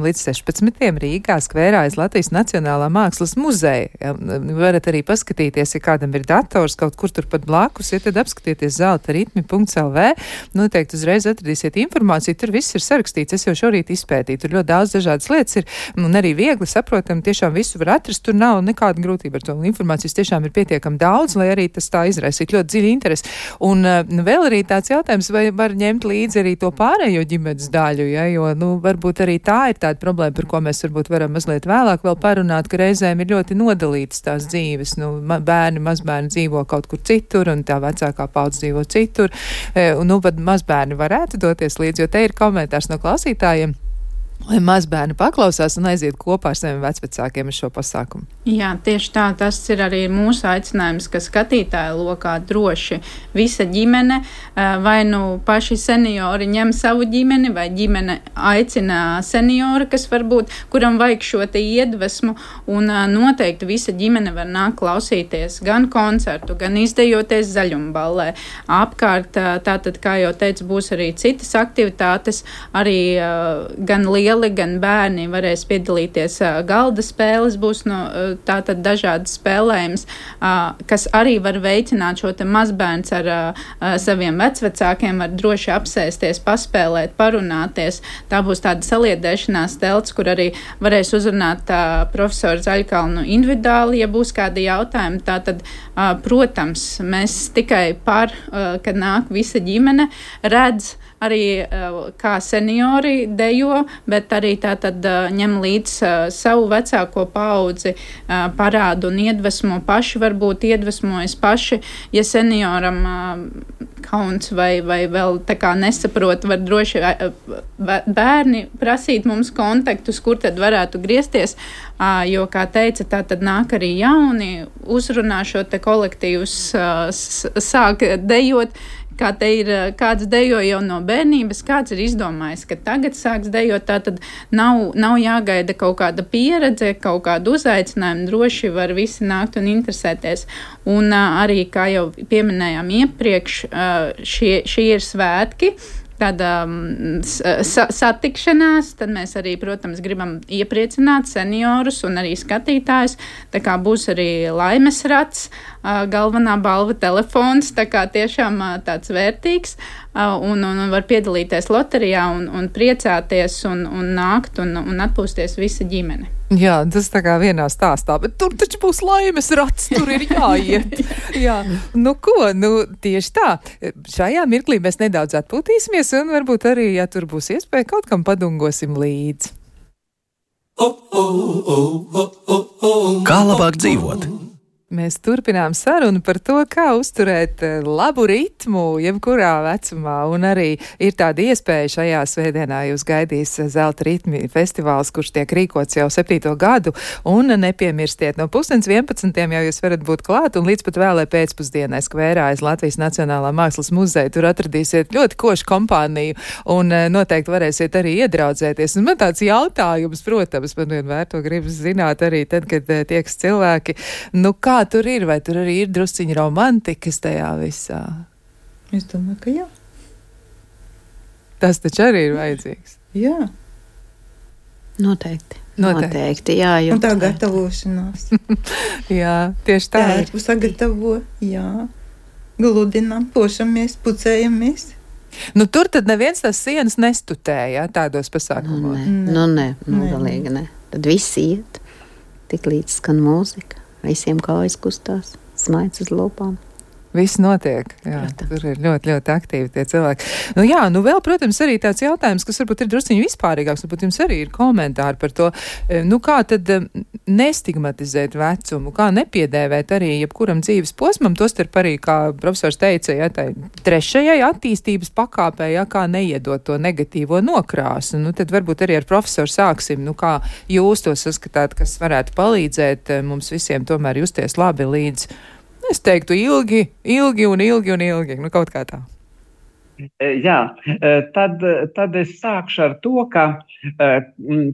līdz 16. Rīgā skvērā aiz Latvijas Nacionālā mākslas muzeja. Varat arī paskatīties, ja kādam ir dators kaut kur tur pat blakus, tad apskatieties zeltaritmi.lv. Noteikti uzreiz atradīsiet informāciju, tur viss ir sarakstīts, es jau šorīt izpētīju, tur ļoti daudz dažādas lietas ir, un arī viegli saprotam, tiešām visu var atrast, tur nav nekāda grūtība ar to, un informācijas tiešām ir pietiekami daudz, lai arī tas tā izraisītu ļoti dziļu interesi. Un vēl arī tāds jautājums, vai var ņemt līdzi arī to pārējo ģimenes daļu, jo, varbūt arī tā ir tāda problēma, par ko mēs varbūt varam mazliet vēlāk vēl parunāt, ka reizēm ir ļoti nodalītas tās dzīves, bērni, mazbērni dzīvo kaut kur citur, un tā vecākā paudze dzīvo citur, pat mazbērni varētu doties līdzi, jo te ir komentārs no klausītājiem, lai mazbērni paklausās un aiziet kopā ar saviem vecvecākiem uz šo pasākumu. Jā, tieši tā, tas ir arī mūsu aicinājums, ka skatītāju lokā droši visa ģimene, vai paši seniori ņem savu ģimeni, vai ģimene aicina seniori, kas varbūt, kuram vajag šo te iedvesmu, un noteikti visa ģimene var nākt klausīties gan koncertu, gan izdejoties zaļumballē. Apkārt, tātad, kā jau teicu, būs arī citas aktivitātes, arī gan lieli, gan bērni varēs piedalīties galda spēles, būs tātad dažādas spēlējums, kas arī var veicināt šo te mazbērns ar saviem vecvecākiem, var droši apsēsties, paspēlēt, parunāties. Tā būs tāda saliedēšanās telts, kur arī varēs uzrunāt profesoru Zaļkalnu individuāli, ja būs kādi jautājumi. Tātad, protams, mēs tikai kad nāk visa ģimene, redz arī kā seniori dejo, bet arī tātad ņem līdz savu vecāko paudzi, parādu un iedvesmo paši, varbūt iedvesmojas paši, ja senioram kauns vai vēl tā kā nesaprot, var droši bērni prasīt mums kontaktus, kur tad varētu griezties, jo, kā teica, tā tad nāk arī jauni, uzrunā šo te kolektīvus, sāk dejot, kā te ir, kāds dejo jau no bērnības, kāds ir izdomājis, ka tagad sāks dejot, tā tad nav jāgaida kaut kāda pieredze, kaut kāda uzaicinājuma, droši var visi nākt un interesēties. Un arī, kā jau pieminējām iepriekš, šie ir svētki, tāda satikšanās, tad mēs arī, protams, gribam iepriecināt seniorus un arī skatītājus, tā kā būs arī laimes rats, galvenā balva telefons, tā kā tiešām tāds vērtīgs, un var piedalīties loterijā un priecāties un nākt un atpūsties visa ģimene. Jā, tas tā kā vienā stāstā, bet tur taču būs laimes rats, tur ir jāiet. Jā, tieši tā. Šajā mirklī mēs nedaudz atpūtīsimies un varbūt arī, ja tur būs iespēja, kaut kam padungosim līdzi. Kā labāk dzīvot? Mēs turpinām sarunu par to, kā uzturēt labu ritmu jebkurā vecumā, un arī ir tāda iespēja šajā svētdienā jūs gaidīs Zelta ritmi festivāls, kurš tiek rīkots jau 7. gadu, un nepiemirstiet, no 11:30 jau jūs varat būt klāt, un līdz pat vēlē pēcpusdienai skvērā aiz Latvijas Nacionālā mākslas muzeja tur atradīsiet ļoti košu kompāniju, un noteikti varēsiet arī iedraudzēties. Un man tāds jautājums, protams, man vienmēr to gribas zināt arī tad, kad tieks cilvēki, kā tur ir, vai tur arī ir drusciņi romantikas tajā visā? Es domāju, ka jā. Tas taču arī ir vajadzīgs. Jā. Noteikti, jā. Un tā gatavošanās. Jā, tieši tā. Jā, sagatavo, jā. Gludinām, pošamies, pucējamies. Tur tad neviens tās sienas nestutēja, tādos pasākumos. Nē, galīgi ne. Tad visi iet, tik līdz skan mūzika. Visiem kājas kustās. smaids uz lūpām. Viss notiek, jā, tur ir ļoti, ļoti aktīvi tie cilvēki. Vēl, protams, arī tāds jautājums, kas varbūt ir drusciņi vispārīgāks, varbūt jums arī ir komentāri par to, kā tad nestigmatizēt vecumu, kā nepiedēvēt arī jebkuram dzīves posmam, tostarp arī, kā profesors teica, tai trešajai attīstības pakāpē, kā neiedot to negatīvo nokrāsu. Tad varbūt arī ar profesoru sāksim, kā jūs to saskatāt, kas varētu palīdzēt mums visiem tomēr justies labi līdz, es teiktu, ilgi, kaut kā tā. Jā, tad es sākšu ar to, ka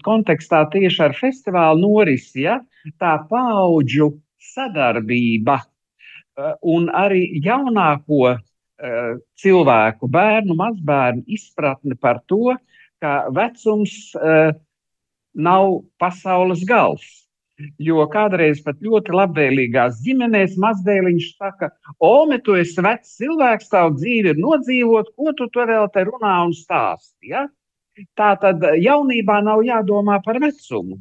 kontekstā tieši ar festivālu norisi, tā paudžu sadarbība un arī jaunāko cilvēku, bērnu, mazbērnu izpratni par to, ka vecums nav pasaules gals. Jo kādreiz pat ļoti labvēlīgās ģimenēs mazdēliņš saka, tu esi vecs cilvēks, tavu dzīvi ir nodzīvot, ko tu vēl te runā un stāsti, ja? Tā tad jaunībā nav jādomā par vecumu.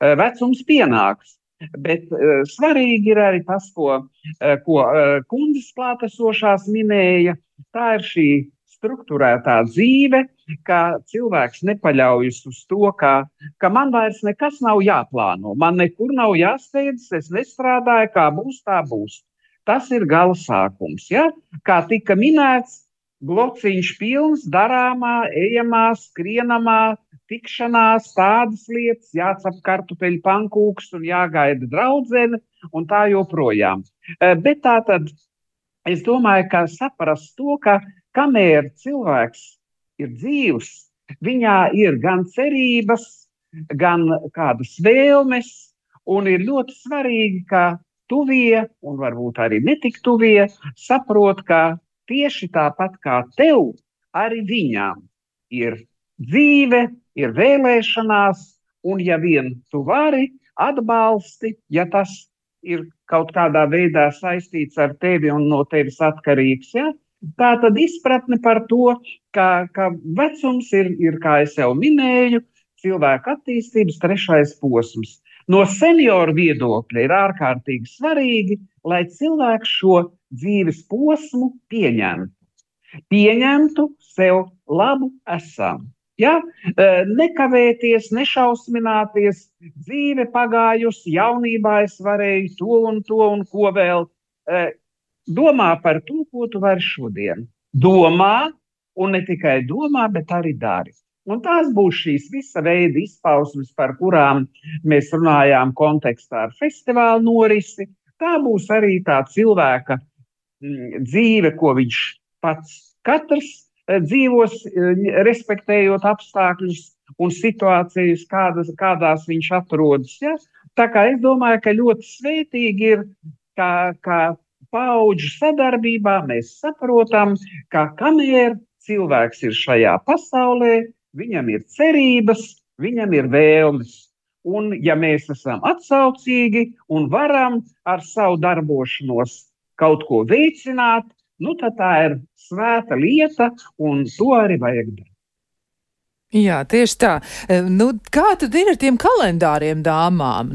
Vecums pienāks, bet svarīgi ir arī tas, ko kundzes klātesošās minēja, tā ir šī strukturētā dzīve, ka cilvēks nepaļaujas uz to, ka man vairs nekas nav jāplāno, man nekur nav jāsteidzas, es nestrādāju, kā būs, tā būs. Tas ir gala sākums, ja? Kā tika minēts, blociņš pilns, darāmā, ejamā, skrienamā, tikšanās, tādas lietas, jācap kartupeļu pankūks un jāgaida draudzene un tā joprojām. Bet tā tad es domāju, ka saprast to, ka kamēr cilvēks ir dzīvs, viņā ir gan cerības, gan kādas vēlmes, un ir ļoti svarīgi, ka tuvie, un varbūt arī netik tuvie, saprot, ka tieši tāpat kā tev, arī viņām ir dzīve, ir vēlēšanās, un ja vien tu vari atbalsti, ja tas ir kaut kādā veidā saistīts ar tevi un no tevis atkarīgs, ja? Tā tad izpratne par to, ka vecums ir, kā es jau minēju, cilvēka attīstības trešais posms. No senioru viedokļa ir ārkārtīgi svarīgi, lai cilvēks šo dzīves posmu pieņemtu. Pieņemtu sev labu esam. Ja? Nekavēties, nešausmināties, dzīve pagājusi, jaunībā es varēju to un ko vēl. Domā par to, ko tu vari šodien. Domā, un ne tikai domā, bet arī dari. Un tās būs šīs visa veida izpausmes, par kurām mēs runājām kontekstā ar festivālu norisi. Tā būs arī tā cilvēka dzīve, ko viņš pats katrs dzīvos, respektējot apstākļus un situācijas, kādās viņš atrodas. Ja? Tā kā es domāju, ka ļoti svētīgi ir, ka paudžu sadarbībā mēs saprotam, ka kamēr cilvēks ir šajā pasaulē, viņam ir cerības, viņam ir vēlmes. Un ja mēs esam atsaucīgi un varam ar savu darbošanos kaut ko veicināt, tad tā ir svēta lieta un to arī vajag darīt. Jā, tieši tā. Kā tad ir ar tiem kalendāriem dāmām?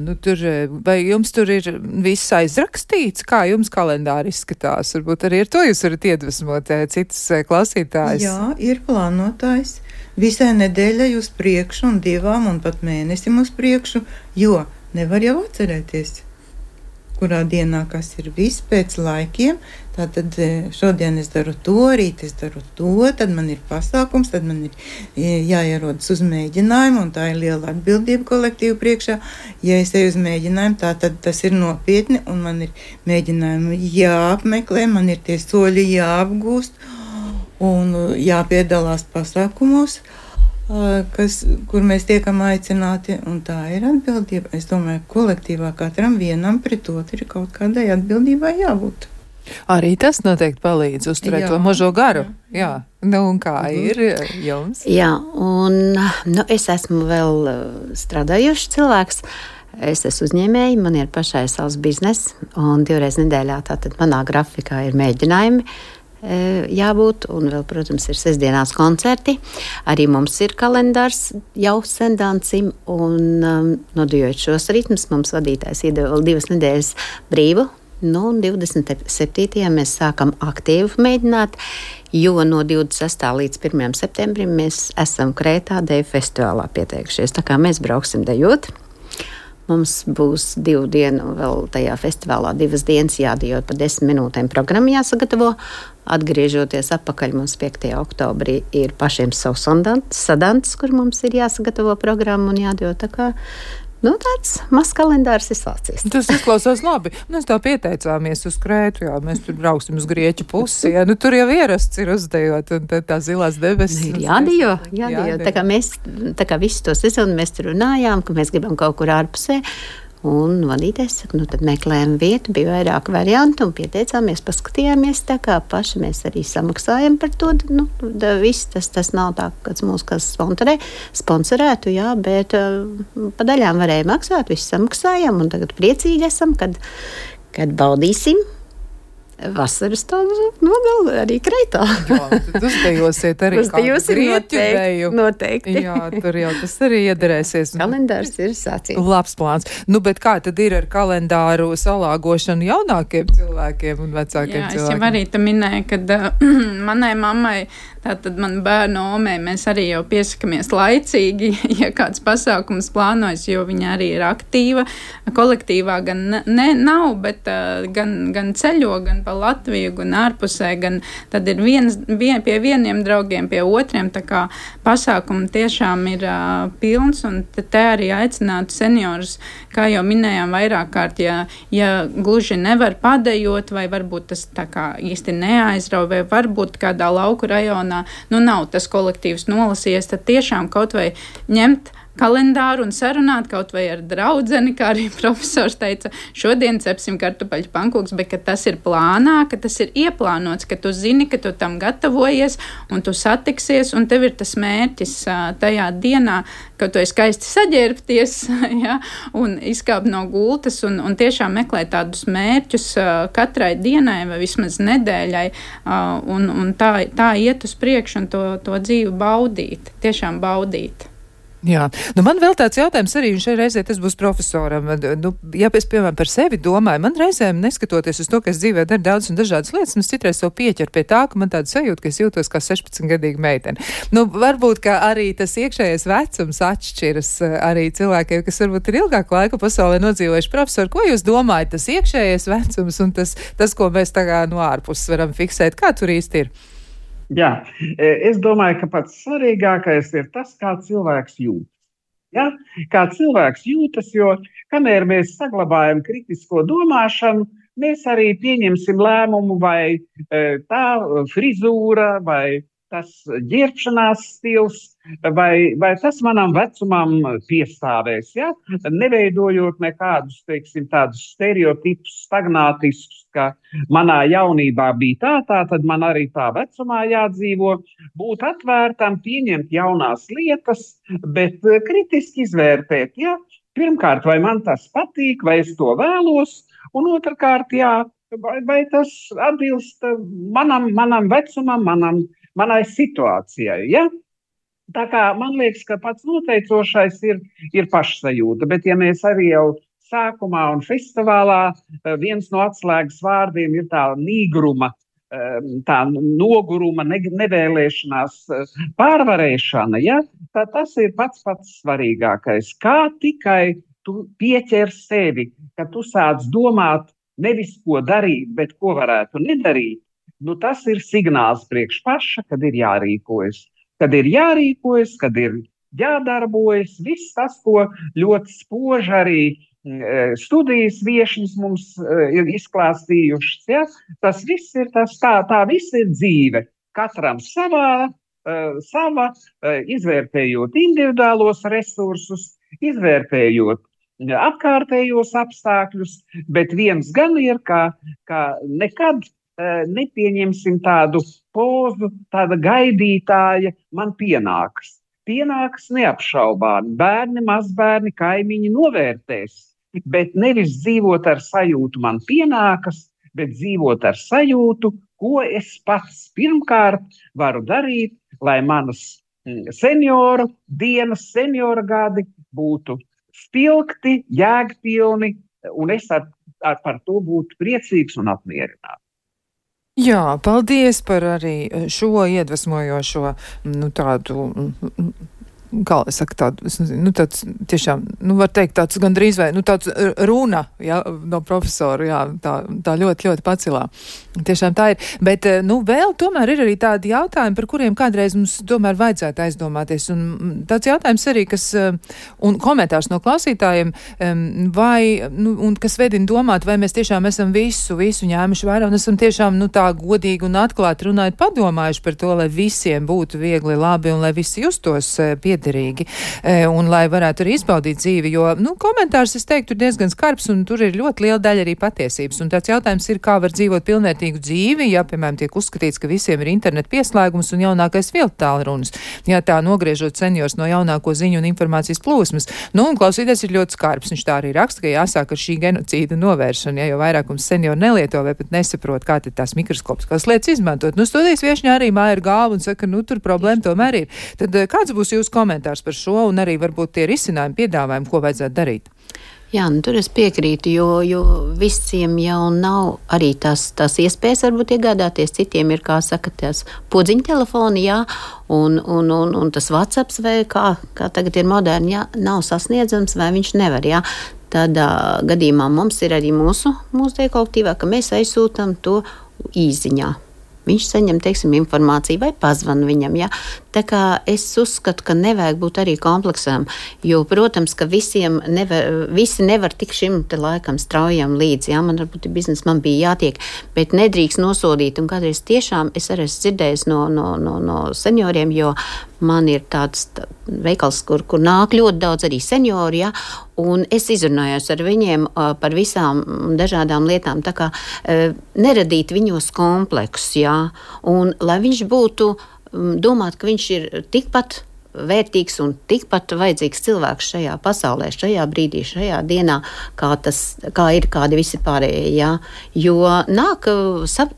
Vai jums tur ir viss aizrakstīts? Kā jums kalendāri izskatās? Varbūt arī ar to jūs varat iedvesmot citas klausītājas. Jā, ir plānotājs. Visai nedēļai uz priekšu un 2 un pat mēnesim uz priekšu, jo nevar jau atcerēties, kurā dienā kas ir viss pēc laikiem. Tātad šodien es daru to, rīt es daru to, tad man ir pasākums, tad man ir jāierodas uz mēģinājumu, un tā ir liela atbildība kolektīvu priekšā. Ja es eju uz mēģinājumu, tad tas ir nopietni, un man ir mēģinājumi jāapmeklē, man ir tie soļi jāapgūst, un jāpiedalās pasākumos, kur mēs tiekam aicināti, un tā ir atbildība. Es domāju, kolektīvā katram vienam pret otru ir kaut kādai atbildībai jābūt. Arī tas noteikti palīdz uzturēt to mazo garu. Jā. Un kā ir jums? Jā, un es esmu vēl strādājuši cilvēks. Es esmu uzņēmēji, man ir pašai savs biznes, un 2 reizes nedēļā tātad manā grafikā ir mēģinājumi jābūt, un vēl, protams, ir sestdienās koncerti. Arī mums ir kalendārs jau sendancim, un nodījot šos ritmus, mums vadītājs iedeva 2 nedēļas brīvu Nu, un 27. mēs sākam aktīvi mēģināt, jo no 26. līdz 1. septembrim mēs esam Krētā deju festivālā pieteikušies. Tā kā mēs brauksim dejot. Mums būs 2 dienu vēl tajā festivālā, 2 dienas jādejot pa 10 minūtēm programmu jāsagatavo. Atgriežoties atpakaļ mums 5. oktobrī ir pašiem savs sadants, kur mums ir jāsagatavo programmu un jādejot. Tā kā tāds mazs kalendārs ir sācies. Tas izklausās labi. Mēs tā pieteicāmies uz Krētu, jā, mēs tur brauksim uz Grieķu pusi, jā, tur jau ierasts ir uzdejot, un tā zilās debesis. Ir jādejo. Tā kā visu to sezonu mēs tur runājām, ka mēs gribam kaut kur ārpusē, un vadītājs saka, tad meklējam vietu, bija vairāk variantu, un pieteicāmies, paskatījāmies, tā kā paši mēs arī samaksājam par to, viss tas nav tā, kāds mūs sponsorētu, jā, bet pa daļām varēja maksāt, visu samaksājam, un tagad priecīgi esam, kad baudīsim vasaras tādu nogalu arī Krētā. Jā, tad uzdejosiet arī kādu grieķu deju. Noteikti. Jā, tur jau tas arī iederēsies. Kalendārs ir sācies. Labs plāns. Bet kā tad ir ar kalendāru salāgošanu jaunākiem cilvēkiem un vecākiem cilvēkiem? Jā, es jau arī te minēju, kad manai mammai, tātad man bērnu omei, mēs arī jau piesakamies laicīgi, ja kāds pasākums plānojas, jo viņa arī ir aktīva. Kolektīvā gan nav, bet gan ceļo, gan pa Latviju, gan ārpusē, gan tad ir pie vieniem draugiem, pie otriem, tā kā pasākumi tiešām ir pilns, un te arī aicinātu seniorus, kā jau minējām vairāk kārt, ja gluži nevar padejot, vai varbūt tas tā kā īsti neaizrauj, vai varbūt kādā lauku rajonā, nav tas kolektīvs nolasījies, tad tiešām kaut vai ņemt kalendāru un sarunāt kaut vai ar draudzeni, kā arī profesors teica, šodien cepsim kartupeļu pankūks, bet ka tas ir plānā, ka tas ir ieplānots, ka tu zini, ka tu tam gatavojies un tu satiksies, un tev ir tas mērķis tajā dienā, ka tu esi skaisti saģērbties, ja, un izkāpt no gultas un tiešām meklēt tādus mērķus katrai dienai vai vismaz nedēļai, un tā iet uz priekšu un to dzīvi baudīt, tiešām baudīt. Jā, man vēl tāds jautājums arī, un šai reizē tas būs profesoram. Ja es, piemēram, par sevi domāju, man reizēm, neskatoties uz to, ka es dzīvē daru daudz un dažādas lietas, es citreiz sev pieķeru pie tā, ka man tāda sajūta, ka es jūtos kā 16-gadīga meitene. Varbūt, ka arī tas iekšējais vecums atšķiras arī cilvēkiem, kas varbūt ir ilgāku laiku pasaulē nodzīvojuši. Profesori, ko jūs domājat, tas iekšējais vecums un tas, ko mēs tagad no ārpuses varam fiksēt? Kā tur īsti ir? Jā, es domāju, ka pats svarīgākais ir tas, kā cilvēks jūtas. Ja? Kā cilvēks jūtas, jo kamēr mēs saglabājam kritisko domāšanu, mēs arī pieņemsim lēmumu, vai tā frizūra, vai tas ģērbšanās stils, vai tas manam vecumam piestāvēs, ja? Neveidojot nekādus, tādus stereotipus, stagnātiskus, ka manā jaunībā bija tā, tad man arī tā vecumā jādzīvo, būt atvērtam, pieņemt jaunās lietas, bet kritiski izvērtēt, ja? Pirmkārt, vai man tas patīk, vai es to vēlos, un otrkārt, jā, vai tas atbilst manam vecumam, manai situācijai, ja? Tā kā man liekas, ka pats noteicošais ir pašsajūta, bet ja mēs arī jau sākumā un festivālā viens no atslēgas vārdiem ir tā nīgruma, tā noguruma, nevēlēšanās pārvarēšana, ja? Tas ir pats svarīgākais. Kā tikai tu pieķer sevi, ka tu sāc domāt nevis ko darīt, bet ko varētu nedarīt, tas ir signāls priekš paša, kad ir jārīkojas. Kad ir jārīkojas, kad ir jādarbojas, viss tas, ko ļoti spoži arī studijas viešņas mums ir izklāstījušas, ja? Tas viss ir tā viss ir dzīve. Katram sava, izvērtējot individuālos resursus, izvērtējot apkārtējos apstākļus, bet viens gan ir, ka nekad nepieņemsim tādu pozu, tāda gaidītāja man pienāks. Pienāks neapšaubāmi. Bērni, mazbērni, kaimiņi novērtēs, bet nevis dzīvot ar sajūtu man pienākas, bet dzīvot ar sajūtu, ko es pats pirmkārt varu darīt, lai manas senioru dienas, seniora gadi būtu spilgti, jēgpilni, un es ar par to būt priecīgs un apmierināts. Jā, paldies par arī šo iedvesmojošo, tādu, kā es saku, tādu, es nezinu, tāds tiešām, var teikt, tāds gandrīz vai, tāds runa, jā, no profesora, jā, tā ļoti, ļoti pacilā. Tiešām tā ir. Bet, vēl tomēr ir arī tādi jautājumi, par kuriem kādreiz mums tomēr vajadzētu aizdomāties. Un tāds jautājums arī, kas, un komentārs no klausītājiem, un kas vedina domāt, vai mēs tiešām esam visu ņēmuši vērā, un esam tiešām, tā godīgi un atklāti runājot padomājuši par to, lai visiem būtu viegli, labi, un lai visi justos piederīgi, un lai varētu arī izbaudīt dzīvi, jo, komentārs, es teiktu, ir diezgan skarbs, un tur ir ļoti liela daļa arī patiesības. Un tāds jautājums ir, kā var dzīvot pilnvērtīgu dzīvi, ja, piemēram, tiek uzskatīts, ka visiem ir internet pieslēgums un jaunākais viltu tālrunis. Ja tā nogriežot seniors no jaunāko ziņu un informācijas plūsmas. Un klausīties ir ļoti skarbs. Viņš tā arī raksta, ka jāsāk ar šī genocīda novēršana, ja, jo vairākums senioru nelieto vai pat nesaprot, kā tad tās mikroskopiskās lietas izmantot. Studijas viešņā arī māja ir galva un saka, tur problēma tomēr ir. Tad kāds būs jūsu komentārs par šo un arī varbūt tie risinājumi, piedāvājumi, ko vajadzētu darīt? Jā, tur es piekrītu, jo visiem jau nav arī tās iespējas varbūt iegādāties. Citiem ir, kā saka, tās podziņa telefoni, jā, un tas WhatsApps vai kā tagad ir moderni, jā, nav sasniedzams vai viņš nevar, jā. Tādā gadījumā mums ir arī mūsu kolektīvā, ka mēs aizsūtam to īziņā. Viņš saņem, teiksim, informāciju vai pazvan viņam, jā. Tā kā es uzskatu, ka nevajag būt arī kompleksām, jo, protams, ka visi nevar tik šim te laikam straujam līdzi, jā, man varbūt biznes man bija jātiek, bet nedrīkst nosodīt, un kādreiz tiešām es arī esmu dzirdējis no senioriem, jo man ir tāds veikals, kur nāk ļoti daudz arī seniori, jā, un es izrunājos ar viņiem par visām dažādām lietām, tā kā neradīt viņos kompleksus, jā, un lai viņš būtu domāt, ka viņš ir tikpat vērtīgs un tikpat vajadzīgs cilvēks šajā pasaulē, šajā brīdī, šajā dienā, kā ir kādi visi pārējie, jā. Jo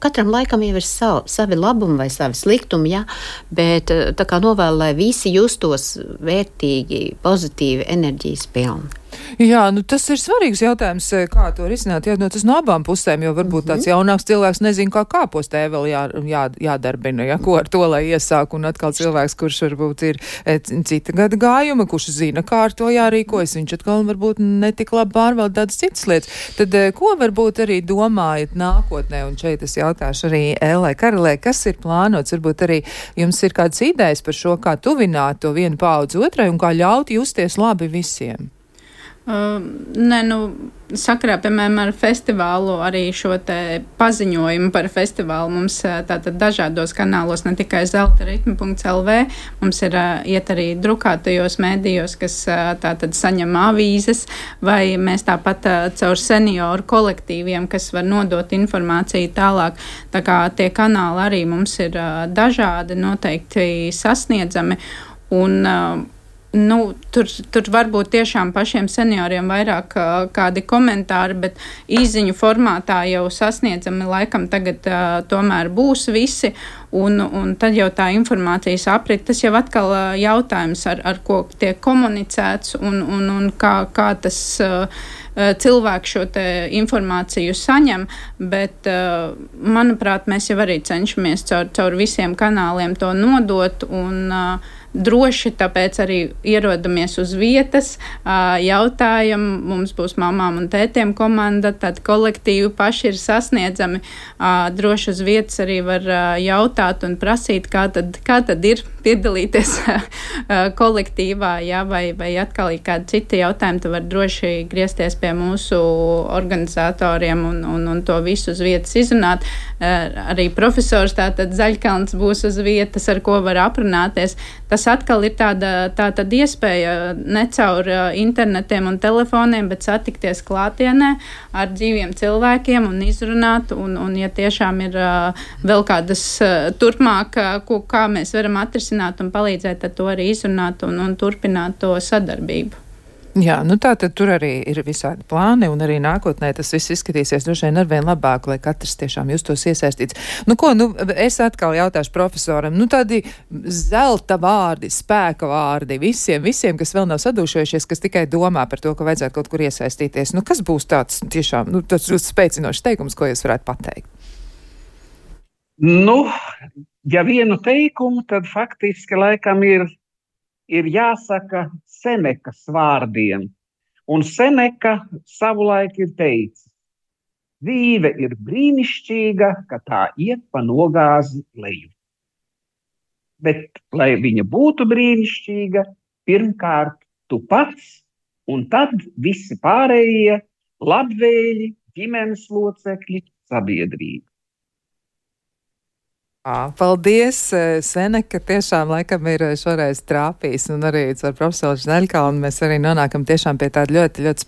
katram laikam jau ir savi labumi vai savi sliktumi, jā, bet tā kā novēlu, lai visi justos vērtīgi, pozitīvi, enerģijas pilni. Jā, tas ir svarīgs jautājums, kā to risināt. Jā, tas no abām pusēm, jo varbūt tāds jaunāks cilvēks nezin, kā kāpostē vēl jādarbina, ja, ko ar to, lai iesāk, un atkal cilvēks, kurš varbūt ir cita gada gājuma, kurš zina, kā ar to jārīkojas, viņš atkal varbūt netik labi pārvalda tādas citas lietas. Tad, ko varbūt arī domājat nākotnē, un šeit es jautāšu arī Ellai Karalē, kas ir plānots, varbūt arī jums ir kādas idejas par šo, kā tuvināt to vienu paudzi otrai un kā ļaut justies labi visiem? Sakarā, piemēram, ar festivālu, arī šo te paziņojumu par festivālu mums tātad dažādos kanālos, ne tikai zeltaritmi.lv, mums ir iet arī drukātajos mēdījos, kas tātad saņem avīzes, vai mēs tāpat caur senioru kolektīviem, kas var nodot informāciju tālāk. Tā kā tie kanāli arī mums ir dažādi, noteikti sasniedzami, un tur varbūt tiešām pašiem senioriem vairāk kādi komentāri, bet īziņu formātā jau sasniedzami laikam tagad tomēr būs visi, un tad jau tā informācijas aprit, tas jau atkal jautājums, ar ko tiek komunicēts, un kā tas cilvēki šo te informāciju saņem, bet, manuprāt, mēs jau arī cenšamies caur visiem kanāliem to nodot, un droši, tāpēc arī ierodamies uz vietas, jautājam, mums būs mamām un tētiem komanda, tad kolektīvi paši ir sasniedzami, droši uz vietas arī var jautāt un prasīt, kā tad ir piedalīties kolektīvā, jā, vai atkal ir kādi citi jautājumi, tu var droši griezties pie mūsu organizatoriem un to visu uz vietas izrunāt. Arī profesors tātad Zaļkalns būs uz vietas, ar ko var aprunāties. Tas atkal ir tāda iespēja ne caur internetiem un telefoniem, bet satikties klātienē ar dzīviem cilvēkiem un izrunāt, un ja tiešām ir vēl kādas turpmāk, kā mēs varam atrisināt un palīdzēt, tad to arī izrunāt un turpināt to sadarbību. Jā, nu tā tad tur arī ir visādi plāni, un arī nākotnē tas viss izskatīsies droši vien arvien labāk, lai katrs tiešām justos iesaistīts. Nu ko, es atkal jautāšu profesoram, tādi zelta vārdi, spēka vārdi visiem, kas vēl nav sadūšojušies, kas tikai domā par to, ka vajadzētu kaut kur iesaistīties. Kas būs tāds tiešām, tāds spēcinošs teikums, ko jūs varētu pateikt? Ja vienu teikumu, tad faktiski laikam ir jāsaka Senekas vārdiem. Un Seneka savulaik ir teicis, dzīve ir brīnišķīga, ka tā iet pa nogāzi leju. Bet, lai viņa būtu brīnišķīga, pirmkārt tu pats, un tad visi pārējie labvēļi, ģimenes locekļi, sabiedrība. Paldies, Seneka, tiešām laikam ir šoreiz trāpījis, un arī ar profesoru Žneļkalnu mēs arī nonākam tiešām pie tāda ļoti, ļoti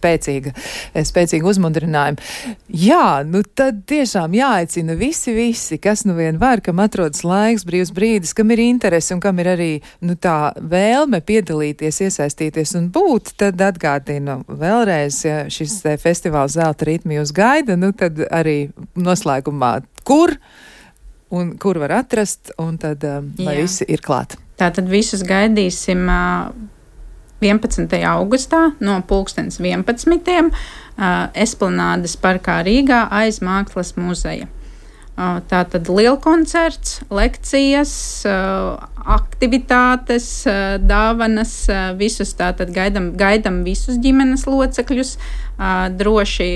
spēcīga uzmundrinājuma. Jā, tad tiešām jāaicina visi, kas vien var, kam atrodas laiks, brīvs brīdis, kam ir interesi un kam ir arī, tā vēlme piedalīties, iesaistīties un būt, tad atgādinu vēlreiz, ja šis festivāls Zelta ritmi jūs gaida, tad arī noslēgumā, kur var atrast, un tad, lai visi ir klāt. Tātad visus gaidīsim 11. augustā no 11:00 Esplanādes parkā Rīgā aiz Mākslas muzeja. Tātad lielkoncerts, lekcijas, aktivitātes, dāvanas, visus tātad gaidam visus ģimenes locekļus, droši.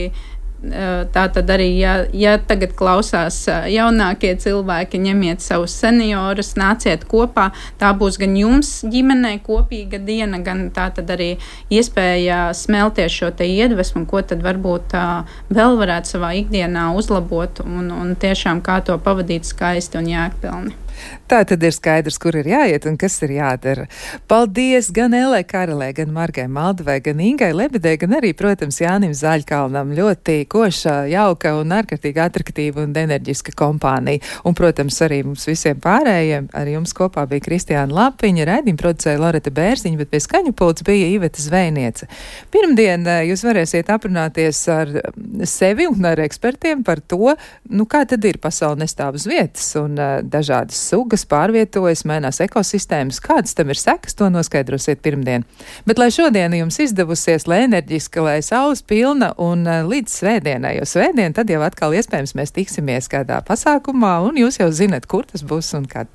Tātad arī, ja tagad klausās jaunākie cilvēki, ņemiet savus seniorus, nāciet kopā. Tā būs gan jums ģimenei kopīga diena, gan tātad arī iespēja smelties šo te iedvesmu, ko tad varbūt vēl varētu savā ikdienā uzlabot un tiešām kā to pavadīt skaisti un jēgpilni. Tā tad ir skaidrs, kur ir jāiet un kas ir jādara. Paldies gan Elē Karelē, gan Margai Maldavai, gan Ingai Lebedē, gan arī, protams, Jānim Zaļkalnam. Ļoti koša, jauka un ārkārtīgi atraktīva un enerģiska kompānija. Un, protams, arī mums visiem pārējiem, ar jums kopā bija Kristiāna Lapiņa, raidījuma producēja Loreta Bērziņa, bet pie skaņu pults bija Iveta Zvejniece. Pirmdien jūs varēsiet aprunāties ar sevi un ar ekspertiem par to, kā tad ir pasaule nestāv uz vietas un dažādas sugas pārvietojas, mainās ekosistēmas, kādas tam ir sekas, to noskaidrosiet pirmdien. Bet lai šodiena jums izdevusies, lai enerģiska, lai saules pilna un līdz svētdienai, jo svētdien tad jau atkal iespējams mēs tiksimies kādā pasākumā un jūs jau zinat, kur tas būs un kad.